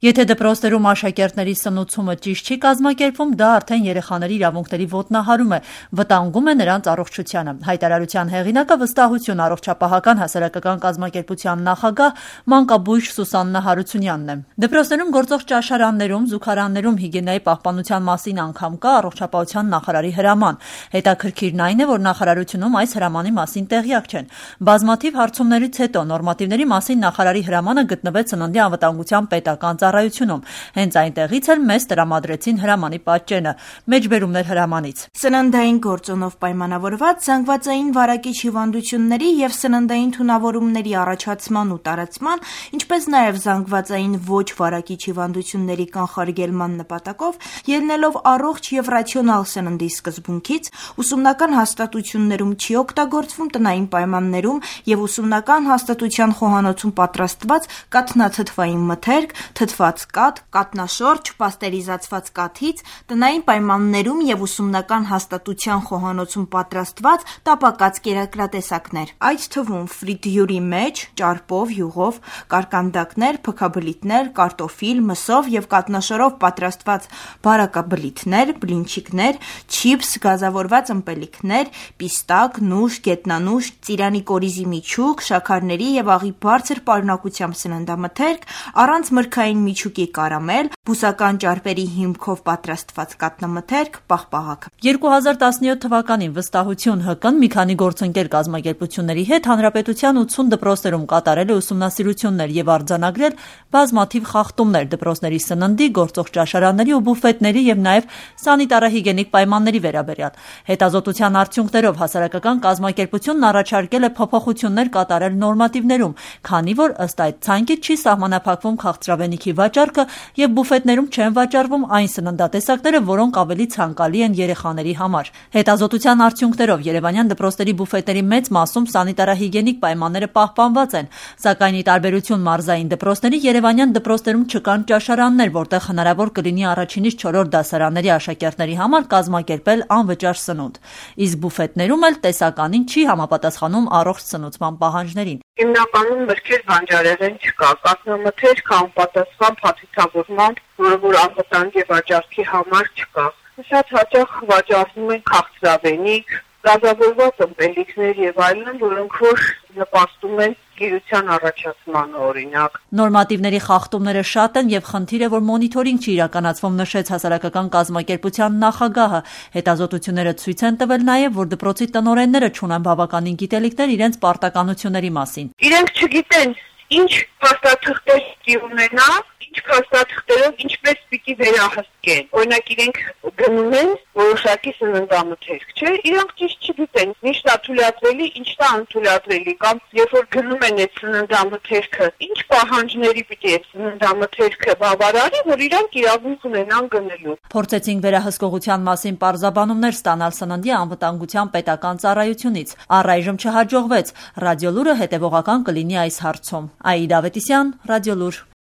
Եթե դպրոցներում աշակերտների սնուցումը ճիշտ չի կազմակերպվում, դա արդեն երեխաների իրավունքների ոտնահարում է, վտանգում է նրանց առողջությանը։ Հայտարարության հեղինակը վստահություն առողջապահական հասարակական կազմակերպության նախագահ մանկաբույժ Սուսաննա Հարությունյանն է։ Դպրոցներում գործող ճաշարաններում, զուգարաններում հիգիենայի պահպանության մասին անգամ կա առողջապահության նախարարի հրաման։ Հետաքրքիրն այն է, որ նախարարությունում այս հրամանի մասին տեղյակ չեն։ Բազմաթիվ հարցումներից հետո նորմատիվների մասին նախարարի հրամանը գտնվեց Սննդի անվտանգության պետական ծառայությունում։ Հենց այնտեղից էլ մեզ տրամադրեցին հրամանի պատճենը, մեջբերումներ հրամանից։ Սննդային գործոնով պայմանավորված զանգվածային վարակիչ հիվանդությունների և սննդային թունավորումների առաջացման ու տարածման, ինչպես նաև զանգվածային ոչ վարակիչ հիվանդությունների կանխարգելման նպատակով, ելնելով առողջ և ռացիոնալ սննդի սկզբունքից, ուսումնական հաստատություններում չի օգտագործվում տնային պայմաններում և ուսումնական հաստատության խոհանոցում պատրաստված կաթնաթթվային մթերք, թթված կաթ, կաթնաշորջ, պաստերիզացված կաթից, տնային պայմաններում և ուսումնական հաստատության խոհանոցում պատրաստված տապակած կերակրատեսակներ, այդ թվում ֆրիտյուրի մեջ, ճարպով, յուղով, կարկանդակներ, փքաբլիթներ, կարտոֆիլ, մսով և կաթնաշորով պատրաստված բարակաբլիթներ, բլինչիկներ, չիփս, գազավորված ըմպելիքներ, պիստակ, նուշ, գետնանուշ, ծիրանի կորիզի միջուկ, շաքարների և աղի բարձր պարունակությամբ սննդամթերք, առանց մրգային միջուկի կարամել, բուսական ճարպերի հիմքով պատրաստված կաթնամթերք, պաղպաղակ։ 2017 թվականին վստահություն ՀԿ-ն մի քանի գործընկեր կազմակերպությունների հետ հանրապետության 80 դպրոցներում կատարել է ուսումնասիրություններ և արձանագրել բազմաթիվ խախտումներ դպրոցների սննդի, գործող ճաշարանների ու բուֆետների և նաև սանիտարահիգիենիկ պայմանների վերաբերյալ։ Հետազոտության արդյունքներով հասարակական կազմակերպությունն առաջարկել է փոփոխություններ կատարել նորմատիվներում, քանի որ ըստ այդ ցանկից չի սահմանափակվում քաղցրավենիքի վաճառքը և բուֆետներում չեն վաճառվում այն սննդատեսակները, որոնք ավելի ցանկալի են երեխաների համար։ Հետազոտության արդյունքներով երևանյան դպրոցների բուֆետների մեծ մասում սանիտարահիգիենիկ պայմանները պահպանված են, սակայն ի տարբերություն մարզային դպրոցների, երևանյան դպրոցներում չկան ճաշարաններ, որտեղ հնարավոր կլինի առաջինից 4-րդ դասարանների աշակերտների համար կազմակերպել անվճար սնունդ։ Իսկ բուֆետներում էլ տեսականին չի համապատասխանում առողջ սնուցման պահանջներին։ Հիմնականում մրգեր բանջարեղեն չկա, կաթնամթերք անպատասխան փաթեթավորմամբ, որը որ անվտանգ է վաճառքի համար չկա։ Շատ հաճախ վաճառվում են քաղցրավենիք, գազավորված ըմպելիքներ եւ այլն, որոնք որ նպաստում են գիրության առաջացմանը օրինակ։ Նորմատիվների խախտումները շատ են եւ խնդիր է, որ մոնիթորինգ չի իրականացվում, նշեց հասարակական կազմակերպության նախագահը։ Հետազոտությունները ցույց են տվել նաեւ, որ դպրոցի տնօրենները չունեն բավականին գիտելիքներ իրենց պարտականությունների մասին։ Իրենք չգիտեն ինչ փաստաթղթեր պիտի ունենա, ինչ փաստաթղթերով ինչպես պիտի վերահսկեն։ Օրինակ իրենք գնում են որոշակի սննդամթերք, չէ՞, իրենք ճիշտ չգիտեն, ինչն է թույլատրելի, ինչն է անթույլատրելի, կամ երբ որ գնում են այդ սննդամթերքը, ինչ պահանջների պիտի այդ սննդամթերքը բավարարի, որ իրենք իրավունք ունենան գնելու։ Փորձեցինք վերահսկողության մասին պարզաբանումներ ստանալ Սննդի անվտանգության պետական ծառայությունից։ Առայժմ չհաջողվեց։ Ռադիոլուրը հետևողական կլինի այս հարցում։ Աիդա Ավետիսյան, Ռադիոլուր։